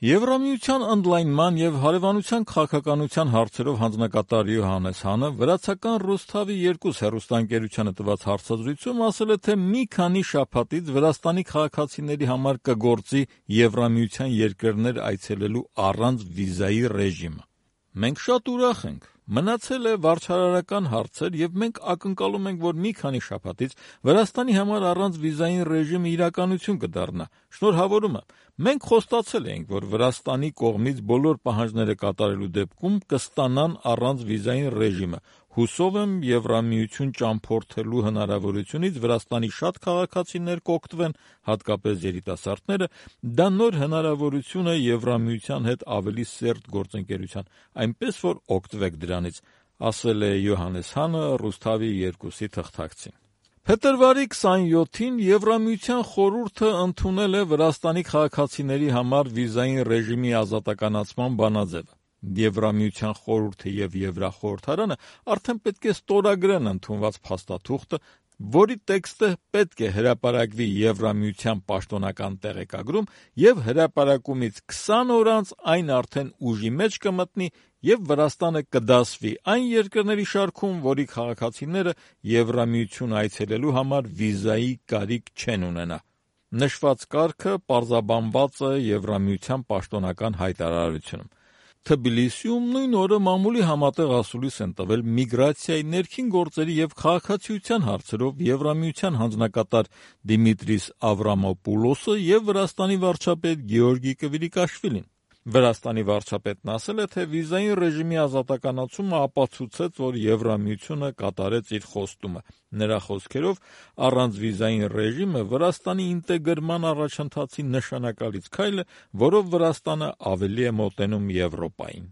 Եվրամիության ընդլայնման և հարևանության քաղաքականության հարցերով հանձնակատար Յոհաննես Հանը վրացական Ռուսթավի 2 հեռուստաընկերությանը տված հարցազրույցում ասել է, թե մի քանի շաբաթից Վրաստանի քաղաքացիների համար կգործի Եվրամիության երկրներ այցելելու առանց վիզայի ռեժիմը։ Մենք շատ ուրախ ենք։ Մնացել է վարչարարական հարցեր և մենք ակնկալում ենք, որ մի քանի շաբաթից Վրաստանի համար առանց վիզային ռեժիմը իրականություն կդառնա։ Շնորհավորում եմ։ Մենք խոստացել էինք, որ Վրաստանի կողմից բոլոր պահանջները կատարելու դեպքում կստանան առանց վիզային ռեժիմը։ Հուսով եմ Եվրամիություն ճամփորդելու հնարավորությունից Վրաստանի շատ քաղաքացիներ կօգտվեն, հատկապես երիտասարդները, դա նոր հնարավորություն է Եվրամիության հետ ավելի սերտ գործընկերության, այնպես որ օգտվեք դրանից, ասել է Յոհաննես Հանը Ռուսթավի 2-ի թղթակցին։ Փետրվարի 27-ին Եվրամիության խորհուրդը ընդունել է Վրաստանի քաղաքացիների համար վիզային ռեժիմի ազատականացման բանաձևը։ Եվրամիության խորհուրդը և Եվրախորհրդարանը արդեն պետք է ստորագրեն ընդունված փաստաթուղթը, որի տեքստը պետք է հրապարակվի Եվրամիության պաշտոնական տեղեկագրում և հրապարակումից 20 օր անց այն արդեն ուժի մեջ կմտնի և Վրաստանը կդասվի այն երկրների շարքում, որի քաղաքացիները Եվրամիություն այցելելու համար վիզայի կարիք չեն ունենա։ Նշված կարգը պարզաբանված է Եվրամիության պաշտոնական հայտարարությունում։ Թբիլիսիում նույն օրը մամուլի համատեղ ասուլիս են տվել միգրացիայի, ներքին գործերի և քաղաքացիության հարցերով Եվրամիության հանձնակատար Դիմիտրիս Ավրամոպուլոսը և Վրաստանի վարչապետ Գեորգի Կվիրիկաշվիլին։ Վրաստանի վարչապետն ասել է, թե վիզային ռեժիմի ազատականացումը ապացուցեց, որ Եվրամիությունը կատարեց իր խոստումը։ Նրա խոսքերով, առանց վիզային ռեժիմը Վրաստանի ինտեգրման առաջընթացի նշանակալից քայլ է, որով Վրաստանը ավելի է մոտենում Եվրոպային։